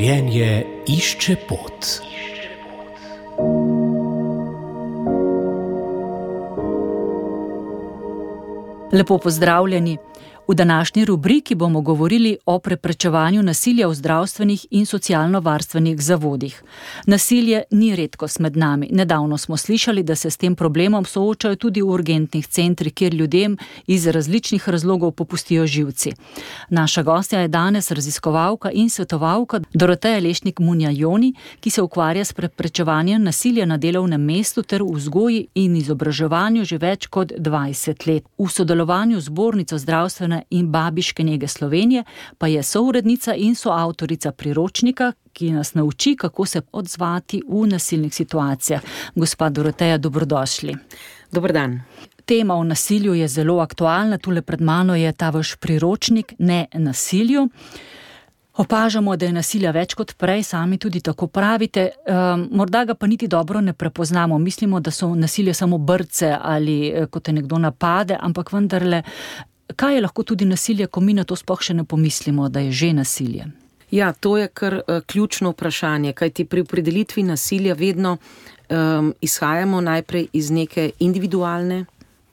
Življenje išče pot. Lepo pozdravljeni. V današnji rubriki bomo govorili o preprečevanju nasilja v zdravstvenih in socialno-varstvenih zavodih. Nasilje ni redkost med nami. Nedavno smo slišali, da se s tem problemom soočajo tudi v urgentnih centrih, kjer ljudem iz različnih razlogov popustijo živci. Naša gostja je danes raziskovalka in svetovalka Doroteja Lešnik-Munja-Joni, ki se ukvarja s preprečevanjem nasilja na delovnem mestu ter v vzgoji in izobraževanju že več kot 20 let. V sodelovanju z Zbornico zdravstvene in babiške nege Slovenije pa je sourednica in soavtorica priročnika, ki nas nauči, kako se odzvati v nasilnih situacijah. Gospa Doroteja, dobrodošli. Dober dan. Tema o nasilju je zelo aktualna. Tule pred mano je ta vaš priročnik Ne nasilju. Opažamo, da je nasilja več kot prej, sami tudi tako pravite. Morda ga pa niti dobro ne prepoznamo. Mislimo, da so nasilje samo brce ali ko te nekdo napade, ampak vendarle, kaj je lahko tudi nasilje, ko mi na to sploh še ne pomislimo, da je že nasilje? Ja, to je kar ključno vprašanje, kajti pri opredelitvi nasilja vedno izhajamo najprej iz neke individualne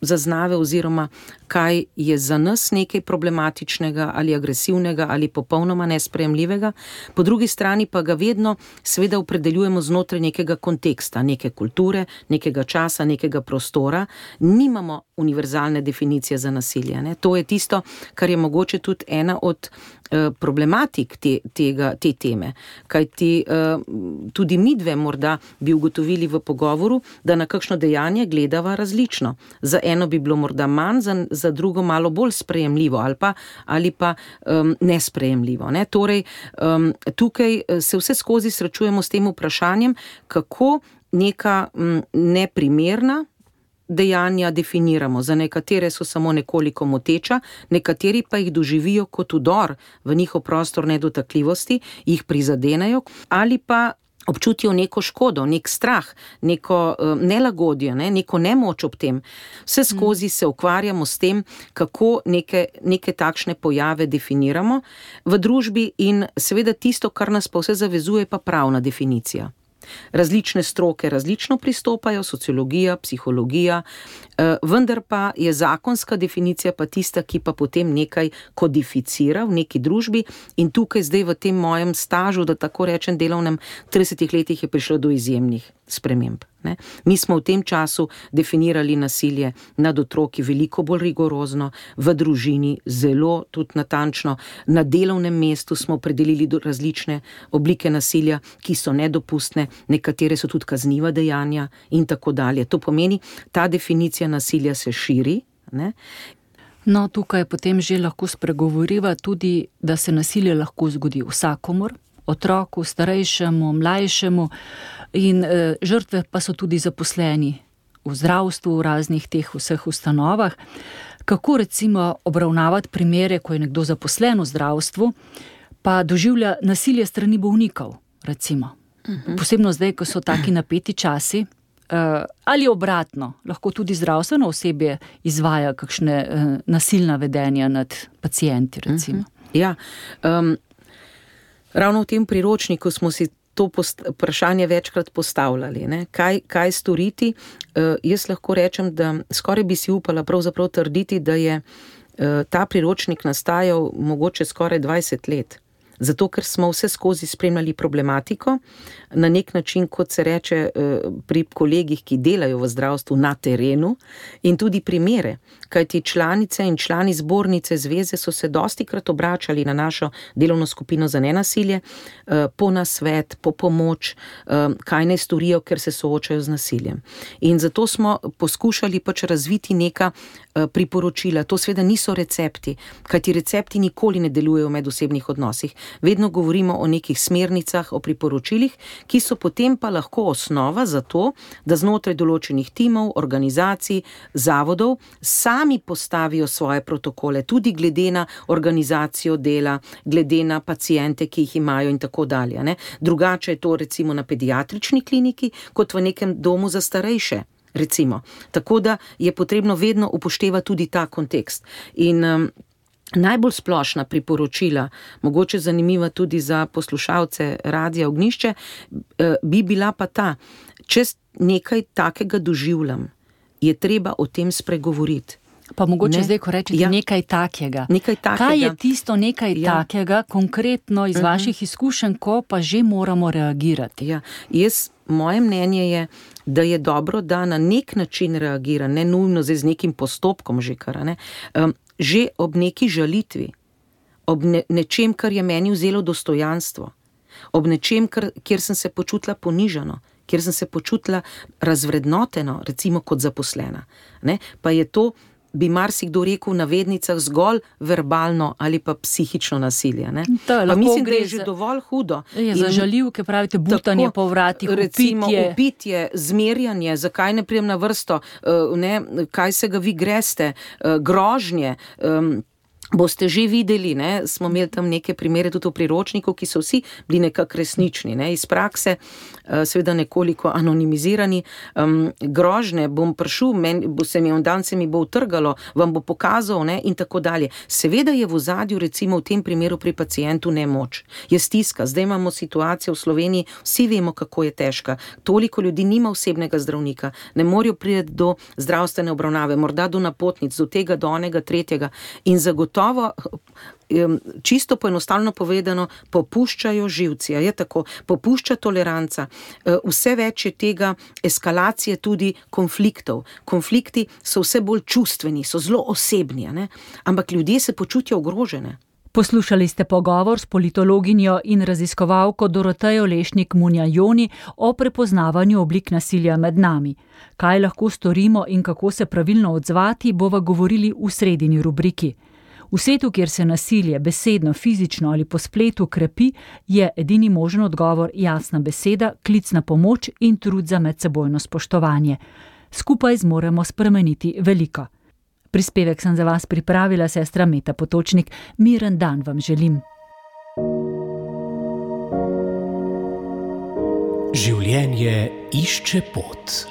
zaznave oziroma kaj je za nas nekaj problematičnega ali agresivnega ali popolnoma nesprejemljivega, po drugi strani pa ga vedno seveda opredeljujemo znotraj nekega konteksta, neke kulture, nekega časa, nekega prostora. Nimamo univerzalne definicije za nasilje, ne? To je tisto, kar je mogoče tudi ena od problematik te teme, kajti tudi midve morda bi ugotovili v pogovoru, da na kakšno dejanje gledava različno. Za eno bi bilo morda manj, za drugo malo bolj sprejemljivo ali pa nesprejemljivo, ne? Torej, tukaj se vse skozi srečujemo s tem vprašanjem, kako neka neprimerna dejanja definiramo. Za nekatere so samo nekoliko moteča, nekateri pa jih doživijo kot vdor v njihov prostor nedotakljivosti, jih prizadenejo ali pa občutijo neko škodo, nek strah, neko nelagodje, neko nemoč ob tem. Vse skozi se ukvarjamo s tem, kako neke takšne pojave definiramo v družbi in seveda tisto, kar nas pa vse zavezuje, pa pravna definicija. Različne stroke različno pristopajo, sociologija, psihologija, vendar pa je zakonska definicija pa tista, ki pa potem nekaj kodificira v neki družbi in tukaj zdaj v tem mojem stažu, da tako rečem delovnem 30 letih je prišlo do izjemnih sprememb. Ne? Mi smo v tem času definirali nasilje nad otroki veliko bolj rigorozno, v družini zelo tudi natančno, na delovnem mestu smo opredelili različne oblike nasilja, ki so nedopustne, nekatere so tudi kazniva dejanja in tako dalje. To pomeni, ta definicija nasilja se širi, ne? No, tukaj potem že lahko spregovoriva tudi, da se nasilje lahko zgodi vsakomur, otroku, starejšemu, mlajšemu in žrtve pa so tudi zaposleni v zdravstvu, v raznih teh vseh ustanovah. Kako recimo obravnavati primere, ko je nekdo zaposlen v zdravstvu, pa doživlja nasilje strani bolnikov, recimo? Posebno zdaj, ko so taki napeti časi, ali obratno, lahko tudi zdravstveno osebje izvaja kakšne nasilna vedenja nad pacienti, recimo. Ja, ravno v tem priročniku smo si to vprašanje večkrat postavljali, ne? Kaj storiti? Jaz lahko rečem, da skoraj bi si upala pravzaprav trditi, da je ta priročnik nastajal mogoče skoraj 20 let. Zato, ker smo vse skozi spremljali problematiko, na nek način, kot se reče pri kolegih, ki delajo v zdravstvu na terenu, in tudi primere, kajti članice in člani zbornice zveze so se dostikrat obračali na našo delovno skupino za nenasilje, po nasvet, po pomoč, kaj naj storijo, ker se soočajo z nasiljem. In zato smo poskušali razviti neka priporočila. To seveda niso recepti, kajti recepti nikoli ne delujejo v medosebnih odnosih. Vedno govorimo o nekih smernicah, o priporočilih, ki so potem pa lahko osnova za to, da znotraj določenih timov, organizacij, zavodov sami postavijo svoje protokole, tudi glede na organizacijo dela, glede na paciente, ki jih imajo in tako dalje, ne. Drugače je to recimo na pediatrični kliniki, kot v nekem domu za starejše, recimo. Tako da je potrebno vedno upoštevati tudi ta kontekst. In Najbolj splošna priporočila, mogoče zanimiva tudi za poslušalce Radia Ognjišče, bi bila pa ta, če nekaj takega doživljam, je treba o tem spregovoriti. Pa mogoče zdaj, ko rečete nekaj takega. Kaj je tisto nekaj takega, konkretno iz vaših izkušenj, ko pa že moramo reagirati? Moje mnenje je, da je dobro, da na nek način reagira, ne nujno z nekim postopkom že kar, ne, že ob neki žalitvi, ob nečem, kar je meni vzelo dostojanstvo, ob nečem, kjer sem se počutila ponižano, kjer sem se počutila razvrednoteno, recimo kot zaposlena, ne, pa je to, bi marsikdo rekel v navednicah, zgolj verbalno ali pa psihično nasilje. Ne? Pa mislim, da je že dovolj hudo. Za žaljivke pravite butanje po vratih, recimo, upitje, zmerjanje, zakaj ne prijem na vrsto, ne, kaj se ga vi greste, grožnje, boste že videli, ne, smo imeli tam neke primere tudi v priročniku, ki so vsi bili nekako resnični, ne, iz prakse, seveda nekoliko anonimizirani, grožnje, bom prišel, se mi bo utrgalo, vam bo pokazal, ne, in tako dalje. Seveda je v ozadju, recimo v tem primeru pri pacientu nemoč, je stiska, zdaj imamo situacijo v Sloveniji, vsi vemo, kako je težka, toliko ljudi nima osebnega zdravnika, ne morejo priti do zdravstvene obravnave, morda do napotnic, do tega, do onega, tretjega, in zagotovo, čisto poenostavljeno povedano, popuščajo živci, je tako, popušča toleranca, vse več je tega eskalacije tudi konfliktov. Konflikti so vse bolj čustveni, so zelo osebni, ne? Ampak ljudje se počutijo ogrožene. Poslušali ste pogovor s politologinjo in raziskovalko Dorotejo Lešnik-Munja-Joni o prepoznavanju oblik nasilja med nami. Kaj lahko storimo in kako se pravilno odzvati, bova govorili v sredini rubriki. V svetu, kjer se nasilje besedno, fizično ali po spletu krepi, je edini možen odgovor jasna beseda, klic na pomoč in trud za medsebojno spoštovanje. Skupaj zmoremo spremeniti veliko. Prispevek sem za vas pripravila sestra Meta Potočnik. Miren dan vam želim. Življenje išče pot.